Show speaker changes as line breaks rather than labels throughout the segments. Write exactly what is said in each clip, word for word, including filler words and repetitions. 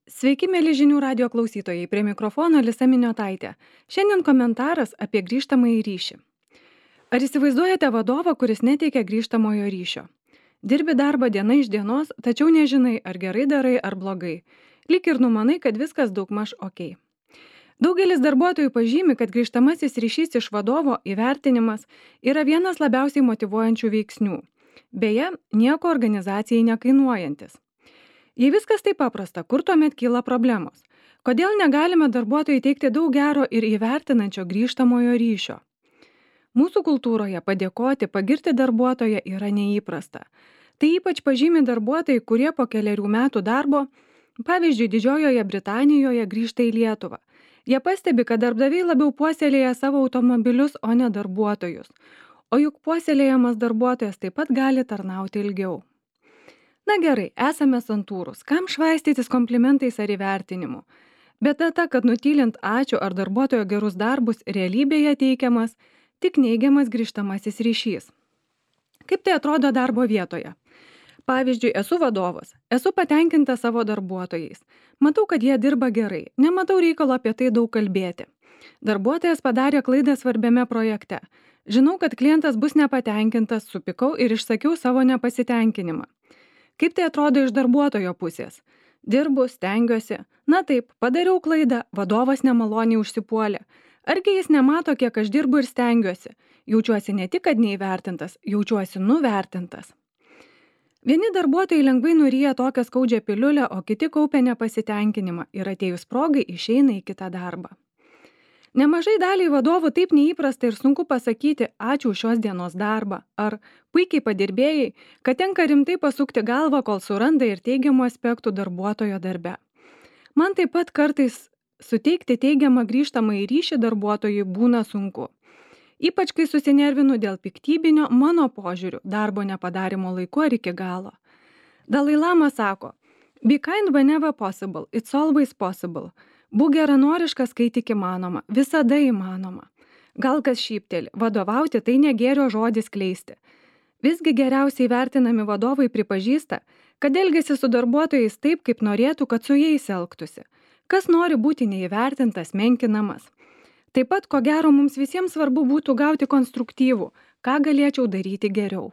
Sveiki, mėly žinių radio klausytojai, prie mikrofono Lisa Miniotaitė. Šiandien komentaras apie grįžtamąjį ryšį. Ar įsivaizduojate vadovą, kuris neteikia grįžtamojo ryšio? Dirbi darbą diena iš dienos, tačiau nežinai, ar gerai darai, ar blogai. Lyg ir numanai, kad viskas daugmaž ok. Daugelis darbuotojų pažymi, kad grįžtamasis ryšys iš vadovo įvertinimas yra vienas labiausiai motyvuojančių veiksnių. Beje, nieko organizacijai nekainuojantis. Jei viskas taip paprasta, kur tuomet kyla problemos? Kodėl negalime darbuotojai teikti daug gero ir įvertinančio grįžtamojo ryšio? Mūsų kultūroje padėkoti, pagirti darbuotoją yra neįprasta. Tai ypač pažymi darbuotojai, kurie po keliarių metų darbo, pavyzdžiui, Didžiojoje Britanijoje grįžta į Lietuvą. Jie pastebi, kad darbdaviai labiau puoselėja savo automobilius, o ne darbuotojus. O juk puoselėjamas darbuotojas taip pat gali tarnauti ilgiau. Na gerai, esame santūrūs, kam švaistytis komplimentais ar įvertinimu. Bet ta, kad nutylint ačiū ar darbuotojo gerus darbus realybėje teikiamas tik neigiamas grįžtamasis ryšys. Kaip tai atrodo darbo vietoje? Pavyzdžiui, esu vadovas, esu patenkinta savo darbuotojais. Matau, kad jie dirba gerai, nematau reikalo apie tai daug kalbėti. Darbuotojas padarė klaidą svarbiame projekte. Žinau, kad klientas bus nepatenkintas, supykau ir išsakiau savo nepasitenkinimą. Kaip tai atrodo iš darbuotojo pusės? Dirbu, stengiuosi. Na taip, padariau klaidą, vadovas nemaloniai užsipuolė. Argi jis nemato, kiek aš dirbu ir stengiuosi? Jaučiuosi ne tik, kad neįvertintas, jaučiuosi nuvertintas. Vieni darbuotojai lengvai nuryja tokią skaudžią piliulę, o kiti kaupia nepasitenkinimą ir atėjus progai išeina į kitą darbą. Nemažai daliai vadovų taip neįprasta ir sunku pasakyti ačiū už šios dienos darbą ar puikiai padirbėjai, kad tenka rimtai pasukti galvą, kol suranda ir teigiamų aspektų darbuotojo darbe. Man taip pat kartais suteikti teigiamą grįžtamąjį ryšį darbuotojui būna sunku. Ypač kai susinervinu dėl piktybinio mano požiūrių darbo nepadarimo laiku ar iki galo. Dalai Lama sako, be kind whenever possible, it's always possible. Būk geranoriškas, kai tik įmanoma, visada įmanoma. Gal kas šypteli, vadovauti tai ne gėrio žodis kleisti. Visgi geriausiai vertinami vadovai pripažįsta, kad elgiasi su darbuotojais taip, kaip norėtų, kad su jais elgtųsi. Kas nori būti neįvertintas, menkinamas. Taip pat, ko gero, mums visiems svarbu būtų gauti konstruktyvų, ką galėčiau daryti geriau.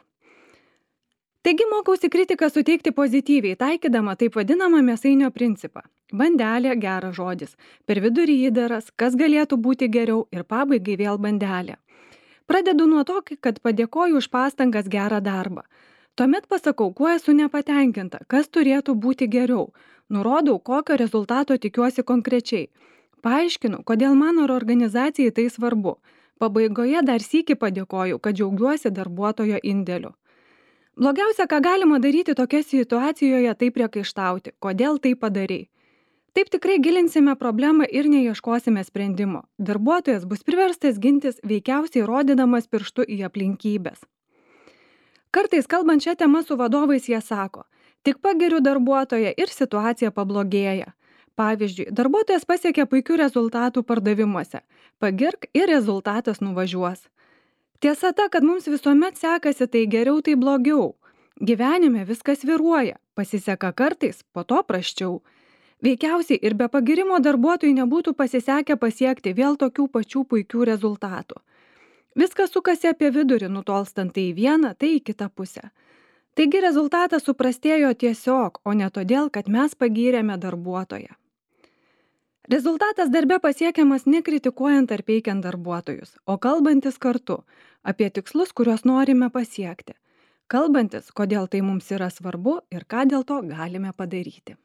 Taigi mokausi kritiką suteikti pozityviai, taikydama taip vadinamą mėsainio principą. Bandelė geras žodis, per vidurį įdaras, kas galėtų būti geriau ir pabaigai vėl bandelė. Pradedu nuo to, kad padėkoju už pastangas gerą darbą. Tuomet pasakau, kuo esu nepatenkinta, kas turėtų būti geriau. Nurodau, kokio rezultato tikiuosi konkrečiai. Paaiškinu, kodėl mano organizacijai tai svarbu. Pabaigoje dar sykį padėkoju, kad džiaugiuosi darbuotojo indėliu. Blogiausia, ką galima daryti tokia situacijoje, tai priekaištauti, kodėl tai padarei. Taip tikrai gilinsime problemą ir neieškosime sprendimo. Darbuotojas bus priverstas gintis veikiausiai rodydamas pirštu į aplinkybės. Kartais kalbant šią temą su vadovais jie sako, tik pagiriu darbuotoją ir situacija pablogėja. Pavyzdžiui, darbuotojas pasiekia puikių rezultatų pardavimuose. Pagirk ir rezultatas nuvažiuos. Tiesa ta, kad mums visuomet sekasi tai geriau, tai blogiau. Gyvenime viskas viruoja, pasiseka kartais, po to prasčiau. Veikiausiai ir be pagirimo darbuotojui nebūtų pasisekę pasiekti vėl tokių pačių puikių rezultatų. Viskas sukasi apie vidurį, nutolstant tai į vieną, tai į kitą pusę. Taigi rezultatas suprastėjo tiesiog, o ne todėl, kad mes pagyrėme darbuotoją. Rezultatas darbe pasiekiamas nekritikuojant ar peikiant darbuotojus, o kalbantis kartu apie tikslus, kuriuos norime pasiekti. Kalbantis, kodėl tai mums yra svarbu ir ką dėl to galime padaryti.